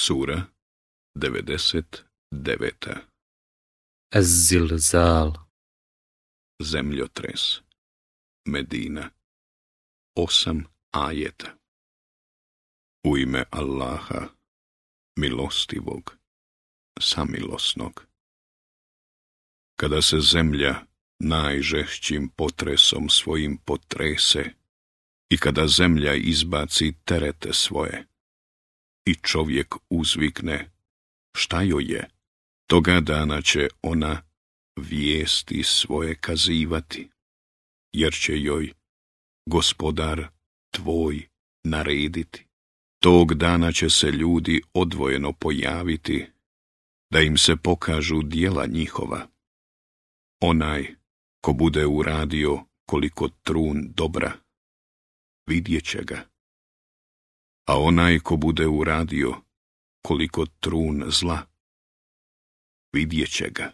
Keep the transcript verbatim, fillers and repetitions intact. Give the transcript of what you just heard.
Sura devedeset deveta. Ez-Zilzal. Zemljotres. Medina. Osam ajeta. U ime Allaha, milostivog, samilosnog. Kada se zemlja najžešćim potresom svojim potrese i kada zemlja izbaci terete svoje i čovjek uzvikne šta joj je, toga dana će ona vijesti svoje kazivati, jer će joj Gospodar tvoj narediti. Tog dana će se ljudi odvojeno pojaviti, da im se pokažu djela njihova. Onaj ko bude uradio koliko trun dobra, vidjet će ga. A onaj ko bude uradio koliko trun zla, vidjet će ga.